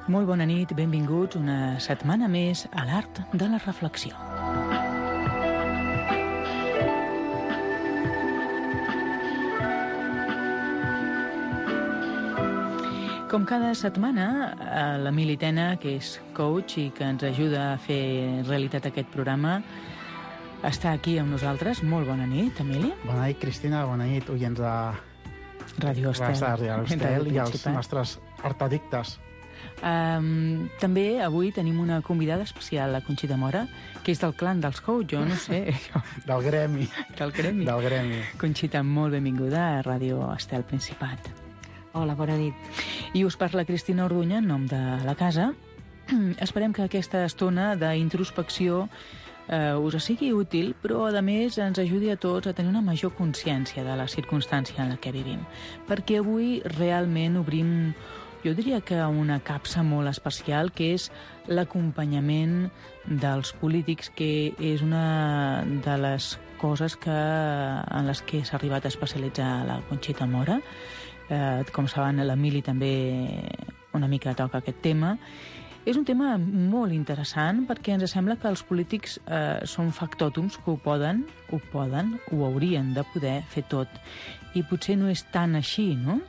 Molt bona nit, benvinguts una setmana més a l'Art de la Reflexió. Com cada setmana, l'Emili Tena, que és coach i que ens ajuda a fer realitat aquest programa, està aquí amb nosaltres. Molt bona nit, Emili. Bona nit, Cristina. Bona nit, oients de Ràdio Estel i els nostres artadictes. També avui tenim una convidada especial, la Conxita Mora, que és del clan dels coach, jo no sé. Del gremi. Del gremi. Conxita, molt benvinguda a Ràdio Estel Principat. Hola, bona nit. I us parla Cristina Orduña, en nom de la casa. Esperem que aquesta estona d'introspecció us sigui útil, però a més ens ajudi a tots a tenir una major consciència de la circumstància en la que vivim. Perquè avui realment obrim, jo diria que una capsa molt especial, que és l'acompanyament dels polítics, que és una de les coses en les que s'ha arribat a especialitzar la Conxita Mora. Com saben, l'Emili també una mica toca aquest tema. És un tema molt interessant perquè ens sembla que els polítics són factòtums que ho haurien de poder fer tot. I potser no és tan així, no?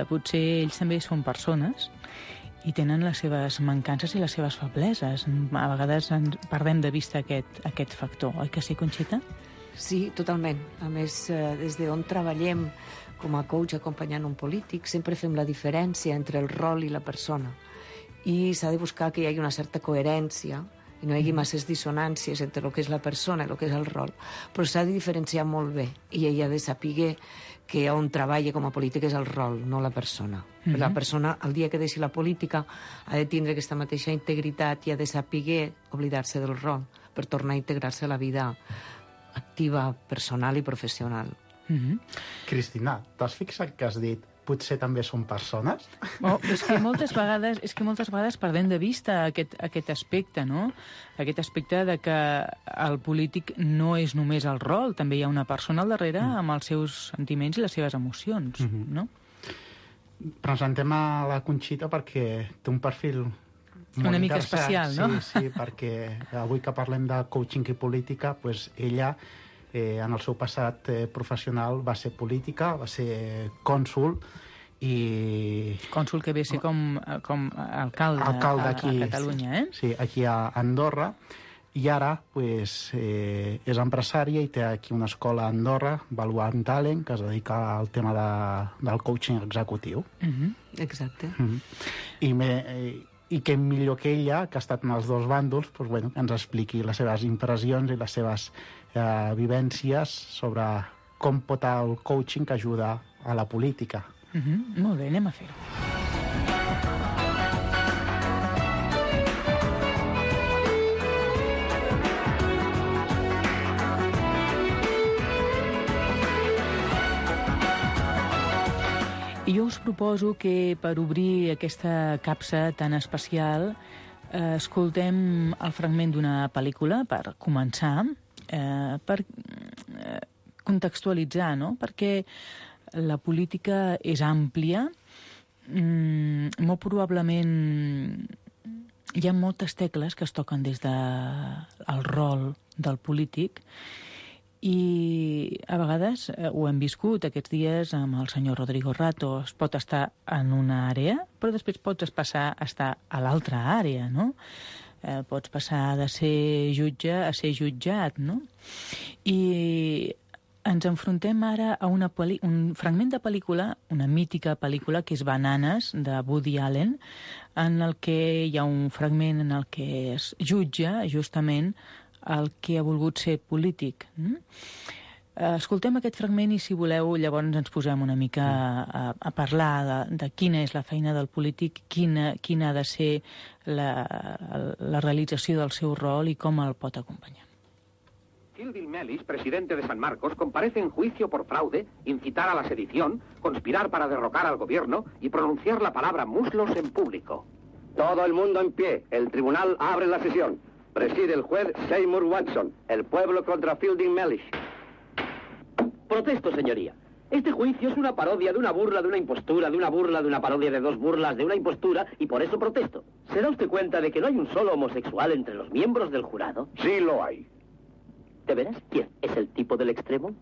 Potser ells també són persones i tenen les seves mancances i les seves febleses. A vegades perdem de vista aquest factor, oi que sí, Conxita? Sí, totalment. A més, des d'on treballem com a coach acompanyant un polític, sempre fem la diferència entre el rol i la persona. I s'ha de buscar que hi hagi una certa coherència i no hi hagi masses dissonàncies entre el que és la persona i el que és el rol, però s'ha de diferenciar molt bé i ella ha de saber que on treballa com a polític és el rol, no la persona. La persona, el dia que deixi la política, ha de tindre aquesta mateixa integritat i ha de saber oblidar-se del rol per tornar a integrar-se a la vida activa, personal i professional. Cristina, t'has fixat que has dit potser també són persones? És que moltes vegades perdem de vista aquest aspecte, no? Aquest aspecte de que el polític no és només el rol, també hi ha una persona al darrere amb els seus sentiments i les seves emocions, no? Presentem a la Conxita perquè té un perfil una mica especial, no? Sí, perquè avui que parlem de coaching i política, doncs ella en el seu passat professional va ser política, va ser cònsul i... Cònsul que ve a ser com alcalde aquí, a Catalunya, Sí, aquí a Andorra, i ara és empresària i té aquí una escola a Andorra, Valuant Talent, que es dedica al tema del coaching executiu. Exacte. I que millor que ella, que ha estat en els dos bàndols, que ens expliqui les seves impressions i les seves vivències sobre com pot el coaching que ajuda a la política. Molt bé, anem a fer-ho. I jo us proposo que per obrir aquesta capsa tan especial escoltem el fragment d'una pel·lícula per començar, per contextualitzar, no? Perquè la política és àmplia, molt probablement hi ha moltes tecles que es toquen des del rol del polític i a vegades ho hem viscut aquests dies amb el senyor Rodrigo Rato. Es pot estar en una àrea, però després pots passar a estar a l'altra àrea, no? Pots passar de ser jutge a ser jutjat, no? I ens enfrontem ara a un fragment de pel·lícula, una mítica pel·lícula, que és Bananes, de Woody Allen, en el que hi ha un fragment en el que es jutja justament el que ha volgut ser polític. Escoltem aquest fragment i, si voleu, llavors ens posem una mica a parlar de quina és la feina del polític, quina ha de ser la realització del seu rol i com el pot acompanyar. Gilville Mellish, presidente de San Marcos, comparece en juicio por fraude, incitar a la sedición, conspirar para derrocar al gobierno y pronunciar la palabra muslos en público. Todo el mundo en pie. El tribunal abre la sesión. Preside el juez Seymour Watson. El pueblo contra Fielding Mellish. Protesto, señoría. Este juicio es una parodia de una burla, de una impostura, de una burla, de una parodia de dos burlas, de una impostura, y por eso protesto. ¿Se da usted cuenta de que no hay un solo homosexual entre los miembros del jurado? Sí lo hay. ¿De veras? ¿Quién? ¿Es el tipo del extremo?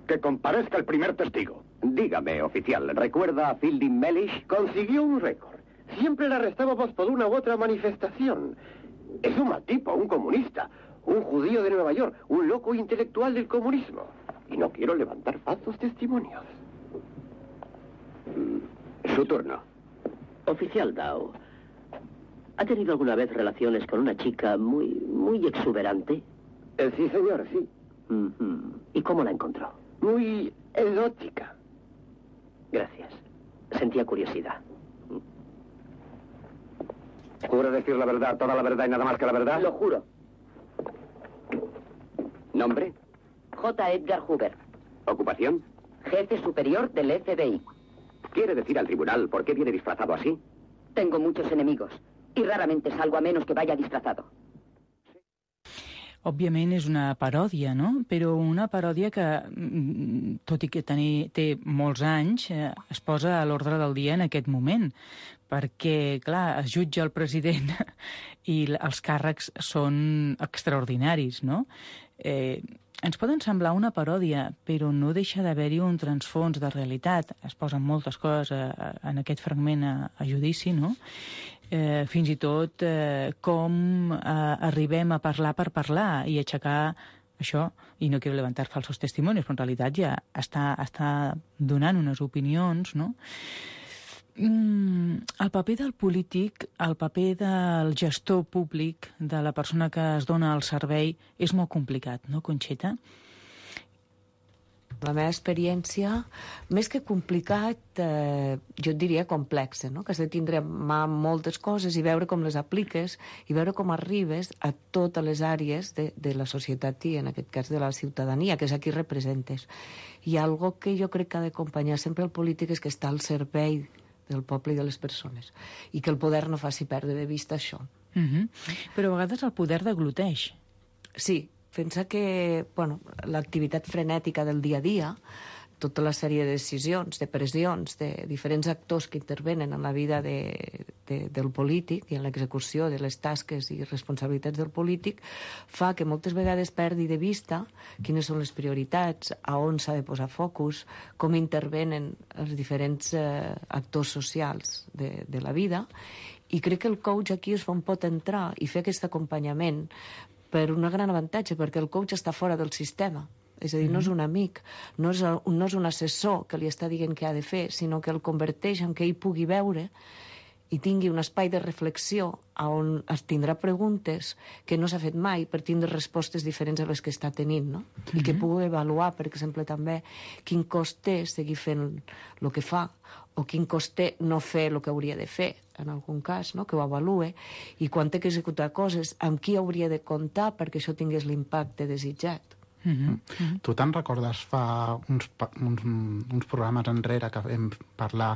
Que comparezca el primer testigo. Dígame, oficial, ¿recuerda a Fielding Mellish? Consiguió un récord. Siempre le arrestábamos por una u otra manifestación. Es un mal tipo, un comunista, un judío de Nueva York, un loco intelectual del comunismo. Y no quiero levantar falsos testimonios. Su turno. Oficial Dow, ¿ha tenido alguna vez relaciones con una chica muy exuberante? Sí, señor, sí. ¿Y cómo la encontró? Muy exótica. Gracias. Sentía curiosidad. ¿Jura decir la verdad, toda la verdad y nada más que la verdad? Lo juro. ¿Nombre? J. Edgar Hoover, ¿Ocupación? jefe superior del FBI. ¿Quiere decir al tribunal por qué viene disfrazado así? Tengo muchos enemigos y raramente salgo a menos que vaya disfrazado. Òbviament és una paròdia, no? Però una paròdia que, tot i que té molts anys, es posa a l'ordre del dia en aquest moment, perquè, clar, es jutja el president i els càrrecs són extraordinaris, no? Ens poden semblar una paròdia, però no deixa d'haver-hi un transfons de realitat. Es posen moltes coses en aquest fragment a judici, no? Fins i tot com arribem a parlar per parlar i aixecar això, i no quiero levantar falsos testimonis, però en realitat ja està donant unes opinions, no? El paper del polític, el paper del gestor públic, de la persona que es dona el servei, és molt complicat, no, Conxeta? La meva experiència, més que complicat, jo et diria complexa, no? Que has de tindre a mà moltes coses i veure com les apliques i veure com arribes a totes les àrees de la societat i, en aquest cas, de la ciutadania, que és a qui representes. I algo que jo crec que ha d'acompanyar sempre el polític és que està al servei del poble i de les persones i que el poder no faci perdre de vista això. Però a vegades el poder degluteix. Sí, pensa que l'activitat frenètica del dia a dia, tota la sèrie de decisions, de pressions, de diferents actors que intervenen en la vida del polític i en l'execució de les tasques i responsabilitats del polític, fa que moltes vegades perdi de vista quines són les prioritats, a on s'ha de posar focus, com intervenen els diferents actors socials de la vida, i crec que el coach aquí es pot entrar i fer aquest acompanyament per un gran avantatge, perquè el coach està fora del sistema. És a dir, no és un amic, no és un assessor que li està dient què ha de fer, sinó que el converteix en que ell pugui veure i tingui un espai de reflexió on es tindrà preguntes que no s'ha fet mai per tindre respostes diferents a les que està tenint, no? I que pugui avaluar, per exemple, també quin cost té seguir fent el que fa o quin cost té no fer el que hauria de fer, en algun cas, no? Que ho avalue, i quan té que executar coses, amb qui hauria de comptar perquè això tingués l'impacte desitjat. Tu te'n recordes fa uns programes enrere que vam parlar,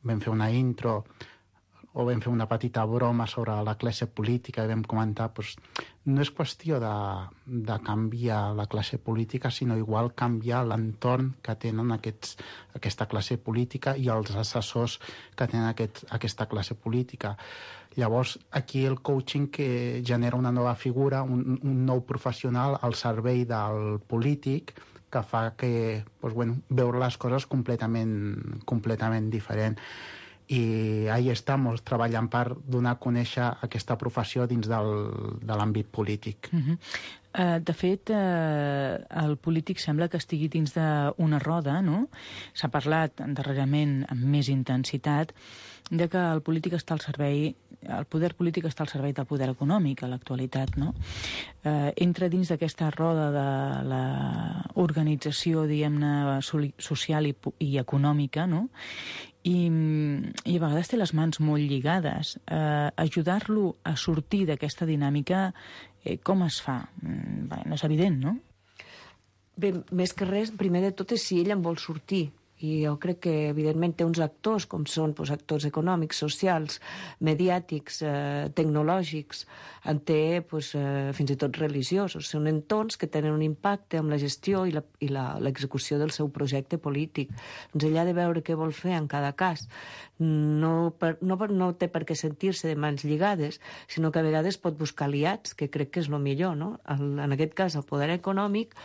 vam fer una intro o vam fer una petita broma sobre la classe política i vam comentar, doncs, no és qüestió de canviar la classe política, sinó igual canviar l'entorn que tenen aquesta classe política i els assessors que tenen aquesta classe política. Llavors, aquí el coaching que genera una nova figura, un nou professional al servei del polític, que fa que, veure les coses completament diferent. I ahí estamos, treballant per donar a conèixer aquesta professió dins de l'àmbit polític. De fet, el polític sembla que estigui dins d'una roda, no? S'ha parlat darrerament amb més intensitat de que el polític està al servei, el poder polític està al servei del poder econòmic a l'actualitat, no? Entra dins d'aquesta roda de l'organització, diguem-ne, social i econòmica, no? I a vegades té les mans molt lligades. Ajudar-lo a sortir d'aquesta dinàmica, com es fa? No és evident, no? Bé, més que res, primer de tot és si ell en vol sortir I jo crec que, evidentment, té uns actors, com són actors econòmics, socials, mediàtics, tecnològics, en té fins i tot religiosos. Són entorns que tenen un impacte amb la gestió i l'execució del seu projecte polític. Doncs ell ha de veure què vol fer en cada cas. No té per què sentir-se de mans lligades, sinó que a vegades pot buscar aliats, que crec que és el millor, no? En aquest cas, el poder econòmic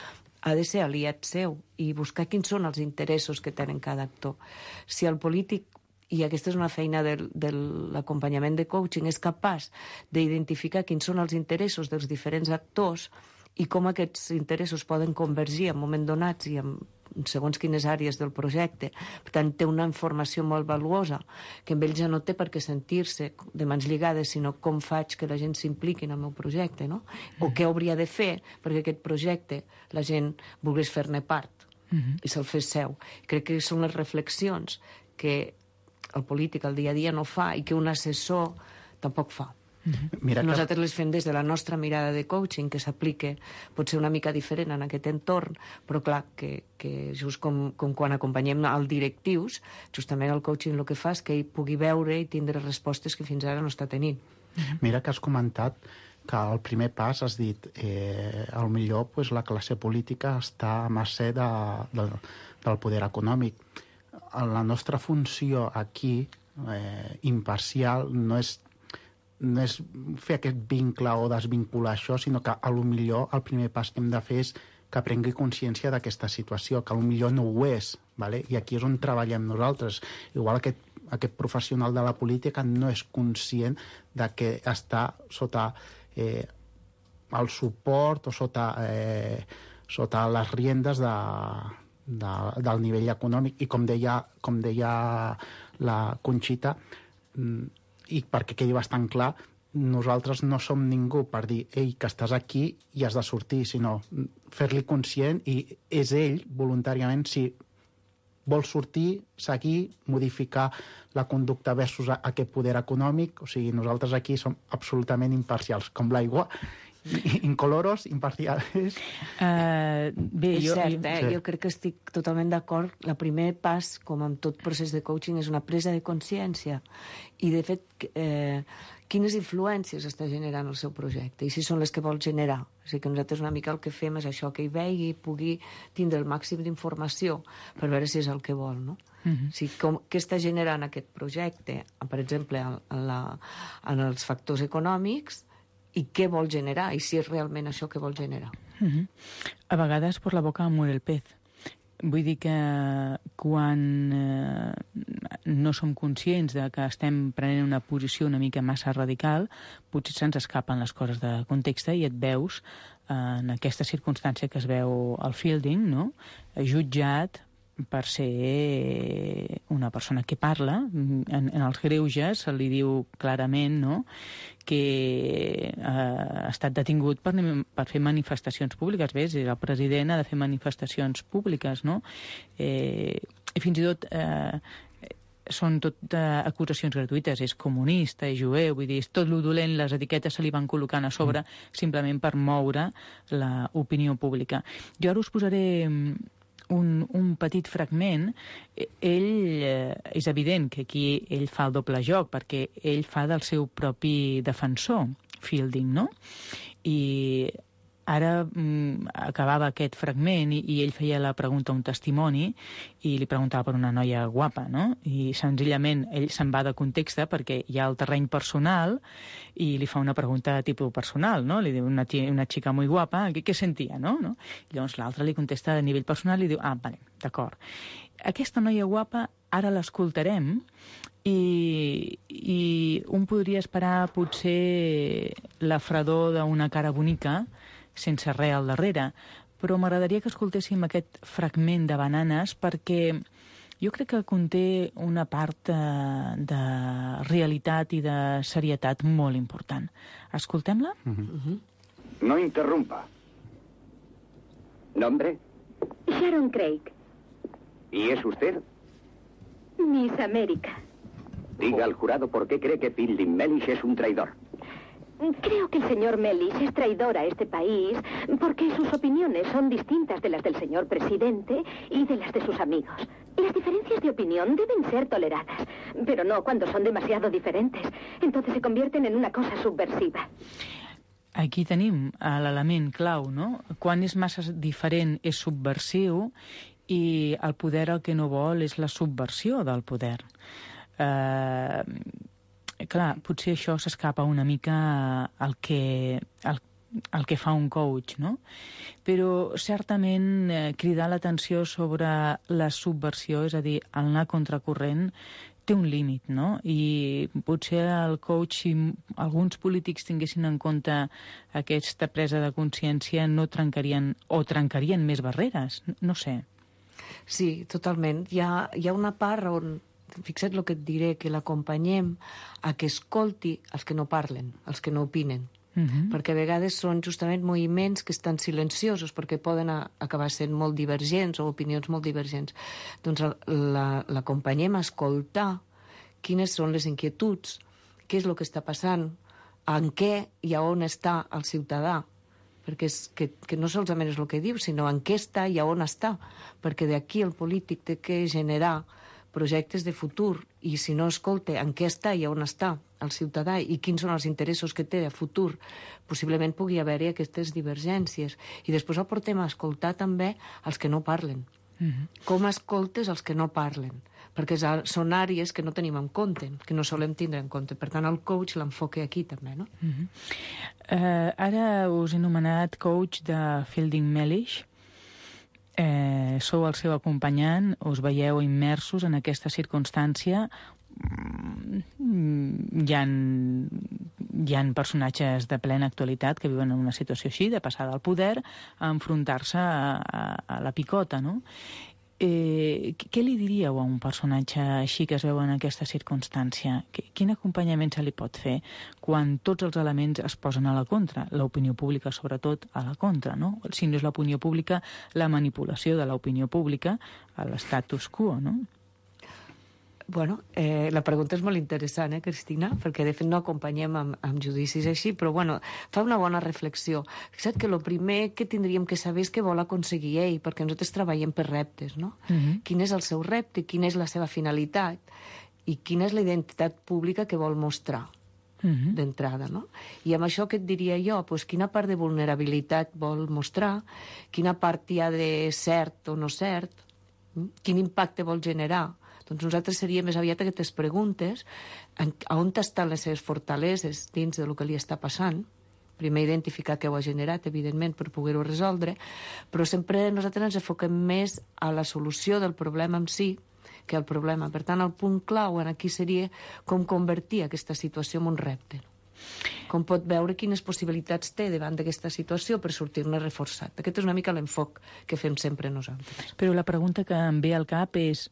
ha de ser aliat seu i buscar quins són els interessos que tenen cada actor. Si el polític, i aquesta és una feina de l'acompanyament de coaching, és capaç d'identificar quins són els interessos dels diferents actors i com aquests interessos poden convergir en moments donats i en segons quines àrees del projecte. Per tant, té una informació molt valuosa, que amb ell ja no té per què sentir-se de mans lligades, sinó com faig que la gent s'impliqui en el meu projecte, no? O què hauria de fer perquè aquest projecte la gent volgués fer-ne part i se'l fes seu. Crec que són les reflexions que el polític al dia a dia no fa i que un assessor tampoc fa. Nosaltres les fem des de la nostra mirada de coaching, que s'aplica potser una mica diferent en aquest entorn, però clar, que just com quan acompanyem els directius, justament el coaching el que fa és que ell pugui veure i tindre respostes que fins ara no està tenint. Mira que has comentat que el primer pas has dit potser la classe política està a mercè del poder econòmic. La nostra funció aquí, imparcial, no és fer aquest vincle o desvincular això, sinó que potser el primer pas que hem de fer és que prengui consciència d'aquesta situació, que potser no ho és, ¿vale? I aquí és on treballem nosaltres. Igual aquest professional de la política no és conscient de que està sota el suport o sota les riendes del nivell econòmic. I com deia la Conxita, i perquè quedi bastant clar, nosaltres no som ningú per dir que estàs aquí i has de sortir, sinó fer-li conscient, i és ell voluntàriament si vol sortir, seguir, modificar la conducta versus aquest poder econòmic. O sigui, nosaltres aquí som absolutament imparcials, com l'aigua, incoloros, imparcials. És cert, jo crec que estic totalment d'acord. El primer pas, com en tot procés de coaching, és una presa de consciència. I, de fet, quines influències està generant el seu projecte i si són les que vol generar. O sigui que nosaltres una mica el que fem és això, que hi vegi i pugui tindre el màxim d'informació per veure si és el que vol, no? O sigui, què està generant aquest projecte, per exemple, en els factors econòmics, i què vol generar, i si és realment això que vol generar. A vegades per la boca muere el pez. Vull dir que quan no som conscients de que estem prenent una posició una mica massa radical, potser se'ns escapen les coses de context i et veus en aquesta circumstància que es veu al Fielding, no? Jutjat per ser una persona que parla. En els greuges se li diu clarament, no?, que ha estat detingut per fer manifestacions públiques. Bé, el president ha de fer manifestacions públiques, no? I fins i tot són tot acusacions gratuïtes. És comunista, és jueu, vull dir, és tot lo dolent, les etiquetes se li van col·locant a sobre simplement per moure l'opinió pública. Jo ara us posaré un petit fragment. Ell, és evident que aquí ell fa el doble joc, perquè ell fa del seu propi defensor, Fielding, no? I ara acabava aquest fragment i ell feia la pregunta a un testimoni i li preguntava per una noia guapa, no? I senzillament ell se'n va de context perquè hi ha el terreny personal i li fa una pregunta de tipus personal, no? Li diu una xica muy guapa, què sentia, no? I llavors l'altre li contesta a nivell personal i diu, vale, d'acord. Aquesta noia guapa ara l'escoltarem i un podria esperar potser la fredor d'una cara bonica sense res al darrere, però m'agradaria que escoltéssim aquest fragment de Bananes perquè jo crec que conté una part de realitat i de serietat molt important. Escoltem-la? No interrumpa. ¿Nombre? Sharon Craig. ¿Y es usted? Miss América. Diga al jurado por qué cree que Fielding Mellish es un traidor. Creo que el señor Mellish es traidor a este país porque sus opiniones son distintas de las del señor presidente y de las de sus amigos. Las diferencias de opinión deben ser toleradas, pero no cuando son demasiado diferentes. Entonces se convierten en una cosa subversiva. Aquí tenim l'element clau, no? Quan és massa diferent és subversiu i el poder el que no vol és la subversió del poder. Clar, potser això s'escapa una mica al que fa un coach, no? Però certament cridar l'atenció sobre la subversió, és a dir, el anar contracorrent, té un límit, no? I potser el coach, si alguns polítics tinguessin en compte aquesta presa de consciència, no trencarien o trencarien més barreres, no sé. Sí, totalment. Hi ha una part on, fixa't el que et diré, que l'acompanyem a que escolti els que no parlen, els que no opinen. Perquè a vegades són justament moviments que estan silenciosos perquè poden acabar sent molt divergents o opinions molt divergents. Doncs l'acompanyem a escoltar quines són les inquietuds, què és el que està passant, en què i a on està el ciutadà, perquè que no solament és el que diu, sinó en què està i a on està, perquè d'aquí el polític té que generar projectes de futur, i si no escolta en què està i on està el ciutadà i quins són els interessos que té de futur, possiblement pugui haver-hi aquestes divergències. I després el portem a escoltar també els que no parlen. Com escoltes els que no parlen? Perquè són àrees que no tenim en compte, que no solem tindre en compte. Per tant, el coach l'enfoca aquí també, no? Ara us he anomenat coach de Fielding Mellish. Sou el seu acompanyant, us veieu immersos en aquesta circumstància. Hi ha personatges de plena actualitat que viuen en una situació així, de passar del poder a enfrontar-se a la picota, no? Què li diríeu a un personatge així que es veu en aquesta circumstància? Quin acompanyament se li pot fer quan tots els elements es posen a la contra? L'opinió pública, sobretot, a la contra, no? Si no és l'opinió pública, la manipulació de l'opinió pública a l'estatus quo, no? Bueno, la pregunta és molt interessant, Cristina? Perquè, de fet, no acompanyem amb judicis així, però, bueno, fa una bona reflexió. Fixa't que el primer que tindríem que saber és què vol aconseguir ell, perquè nosaltres treballem per reptes, no? Quin és el seu repte, quina és la seva finalitat i quina és la identitat pública que vol mostrar d'entrada, no? I amb això què et diria jo? Pues quina part de vulnerabilitat vol mostrar, quina part hi ha de cert o no cert, quin impacte vol generar. Doncs nosaltres seria més aviat aquestes preguntes, a on estan les seves fortaleses dins del que li està passant, primer identificar què ho ha generat, evidentment, per poder-ho resoldre, però sempre nosaltres ens enfoquem més a la solució del problema en si que al problema. Per tant, el punt clau aquí seria com convertir aquesta situació en un repte. Com pot veure quines possibilitats té davant d'aquesta situació per sortir-ne reforçat. Aquest és una mica l'enfoc que fem sempre nosaltres. Però la pregunta que em ve al cap és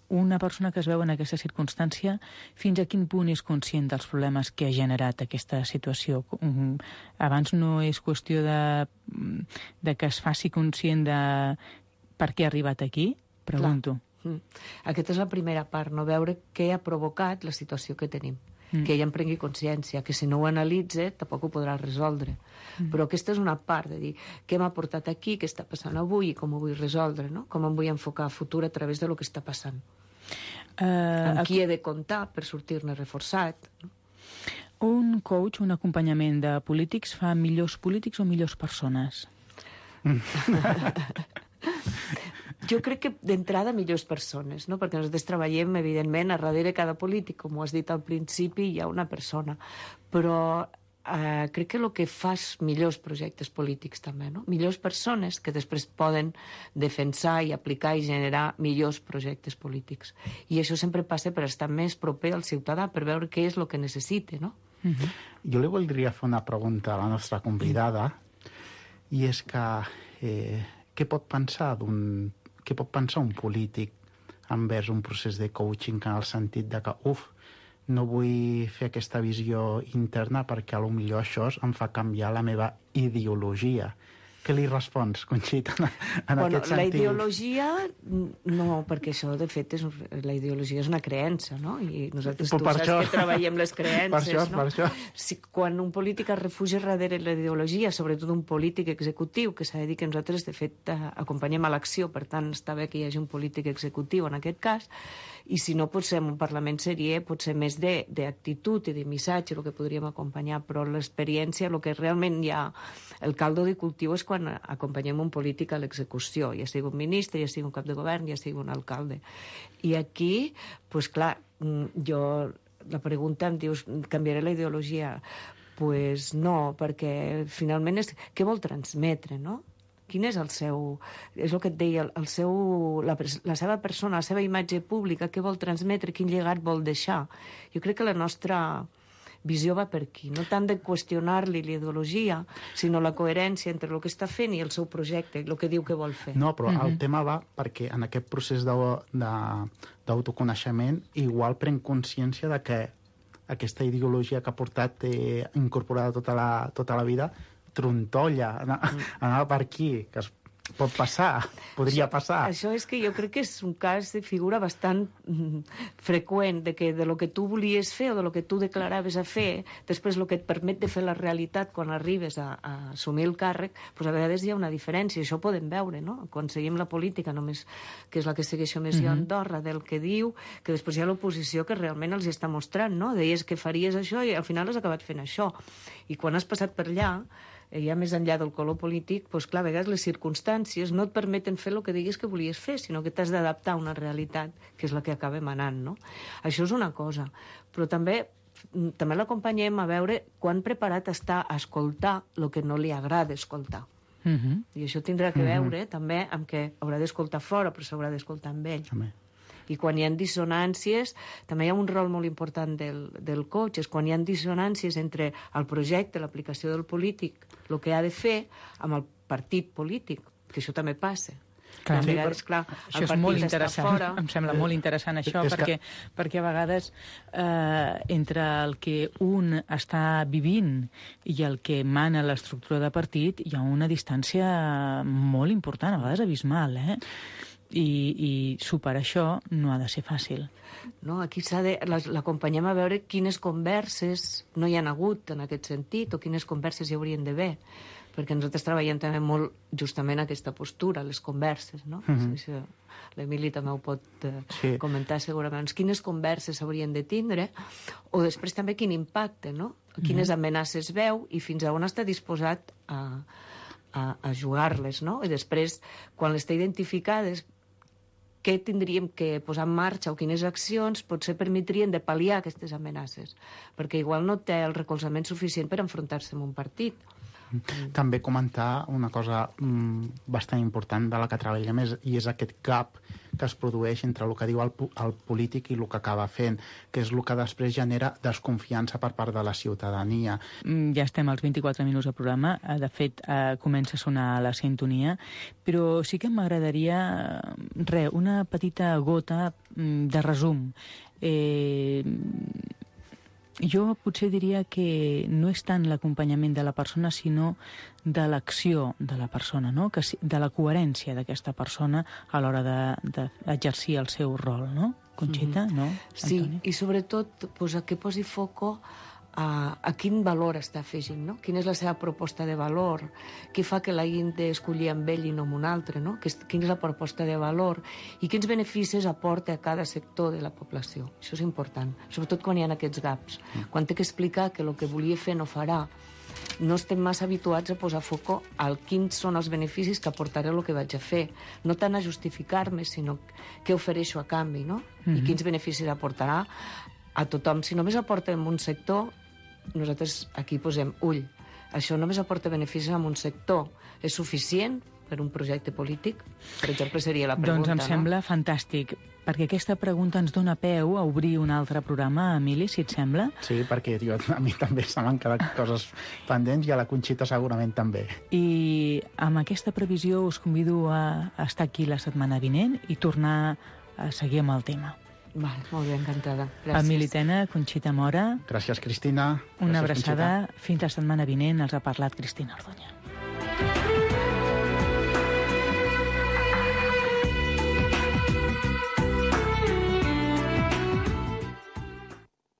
una persona que es veu en aquesta circumstància, fins a quin punt és conscient dels problemes que ha generat aquesta situació? Abans no és qüestió de que es faci conscient de per què ha arribat aquí? Pregunto. Aquesta és la primera part, no? Veure què ha provocat la situació que tenim. Que ella en prengui consciència, que si no ho analitza tampoc ho podrà resoldre. Però aquesta és una part de dir què m'ha portat aquí, què està passant avui i com ho vull resoldre, no? Com em vull enfocar a futur a través de lo que està passant. Amb qui he de comptar per sortir-ne reforçat. Un coach, un acompanyament de polítics fa millors polítics o millors persones? Jo crec que d'entrada millors persones, no? Perquè nosaltres treballem, evidentment, a darrere cada polític, com ho has dit al principi, hi ha una persona. Però crec que el que fa és millors projectes polítics també, no? Millors persones que després poden defensar i aplicar i generar millors projectes polítics. I això sempre passa per estar més proper al ciutadà, per veure què és el que necessita, no? Jo li voldria fer una pregunta a la nostra convidada, i és que què pot pensar un polític envers un procés de coaching, en el sentit de que, no vull fer aquesta visió interna perquè potser això em fa canviar la meva ideologia. què li respons, Conxita, en aquest sentit? La ideologia, no, perquè això, de fet, la ideologia és una creença, no? I nosaltres, tu saps que treballem les creences, no? Per això. Si, quan un polític es refugia darrere la ideologia, sobretot un polític executiu, que s'ha de dir que nosaltres, de fet, acompanyem a l'acció, per tant, està bé que hi hagi un polític executiu en aquest cas, i si no, potser en un Parlament seria potser més d'actitud i de missatge el que podríem acompanyar, però l'experiència, el que realment hi ha, el caldo de cultiu és quan acompanyem un polític a l'execució, ja sigui un ministre, ja sigui un cap de govern, ja sigui un alcalde. I aquí, doncs clar, la pregunta em dius, canviaré la ideologia? Doncs no, perquè finalment és què vol transmetre, no? Quin és el seu... És el que et deia, la seva persona, la seva imatge pública, què vol transmetre, quin llegat vol deixar. Jo crec que la nostra visió va per aquí, no tant de qüestionar-li l'ideologia, sinó la coherència entre el que està fent i el seu projecte, el que diu que vol fer. No, però el tema va perquè en aquest procés d'autoconeixement igual pren consciència de que aquesta ideologia que ha portat incorporada tota la vida trontolla, anava per aquí, que es pot passar, podria passar. Això és que jo crec que és un cas de figura bastant freqüent, de que de lo que tu volies fer o de lo que tu declaraves a fer, després el que et permet de fer la realitat quan arribes a assumir el càrrec, doncs a vegades hi ha una diferència, això ho podem veure, no? Quan seguim la política, només, que és la que segueixo més jo a Andorra, del que diu, que després hi ha l'oposició que realment els està mostrant, no? Deies que faries això i al final has acabat fent això. I quan has passat per allà, ja més enllà del color polític, doncs clar, a vegades les circumstàncies no et permeten fer el que diguis que volies fer, sinó que t'has d'adaptar a una realitat, que és la que acabem anant, no? Això és una cosa. Però també l'acompanyem a veure quan preparat està a escoltar el que no li agrada escoltar. I això tindrà que veure també amb que haurà d'escoltar fora, però s'haurà d'escoltar amb ell. I quan hi ha dissonàncies, també hi ha un rol molt important del coach, és quan hi ha dissonàncies entre el projecte, l'aplicació del polític, el que ha de fer, amb el partit polític, que això també passa. Clar, a vegades, clar, això és molt interessant. Em sembla molt interessant això, perquè a vegades entre el que un està vivint i el que mana l'estructura de partit hi ha una distància molt important, a vegades abismal, i superar això no ha de ser fàcil. No, aquí l'acompanyem a veure quines converses no hi han hagut en aquest sentit o quines converses hi haurien d'haver, perquè nosaltres treballem també molt justament aquesta postura, les converses, no? L'Emili també ho pot comentar segurament. Quines converses s'haurien de tindre, o després també quin impacte, no? Quines amenaces veu i fins a on està disposat a jugar-les, no? I després, quan les té identificades, què tindríem que posar en marxa o quines accions potser permetrien de pal·liar aquestes amenaces, perquè igual no té el recolzament suficient per enfrontar-se amb un partit. També comentar una cosa bastant important de la que treballem i és aquest gap que es produeix entre el que diu el polític i el que acaba fent, que és el que després genera desconfiança per part de la ciutadania. Ja estem als 24 minuts del programa, de fet comença a sonar la sintonia, però sí que m'agradaria una petita gota de resum. Jo potser diria que no és tant l'acompanyament de la persona, sinó de l'acció de la persona, no? De la coherència d'aquesta persona a l'hora d'exercir el seu rol, no? Conxita, no? Sí, i sobretot que posi foco a quin valor està afegint, no? Quina és la seva proposta de valor, què fa que l'hagin d'escollir amb ell i no amb un altre, no? Quina és la proposta de valor i quins beneficis aporta a cada sector de la població. Això és important, sobretot quan hi ha aquests gaps. Quan té que explicar que el que volia fer no farà, no estem massa habituats a posar foco al quins són els beneficis que aportaré el que vaig a fer. No tant a justificar-me, sinó què ofereixo a canvi, no? I quins beneficis aportarà a tothom. Si només aporta en un sector, nosaltres aquí posem ull. Això només aporta beneficis a un sector. És suficient per un projecte polític? Per exemple, seria la pregunta, doncs em sembla fantàstic, perquè aquesta pregunta ens dona peu a obrir un altre programa, Emili, si et sembla. Sí, perquè a mi també se m'han quedat coses pendents i a la Conxita segurament també. I amb aquesta previsió us convido a estar aquí la setmana vinent i tornar a seguir amb el tema. Vale, molt bé, encantada. Gràcies. Emili Tena, Conxita Mora. Gràcies, Cristina. Una Gràcies, abraçada. Conxita. Fins la setmana vinent. Els ha parlat Cristina Orduña.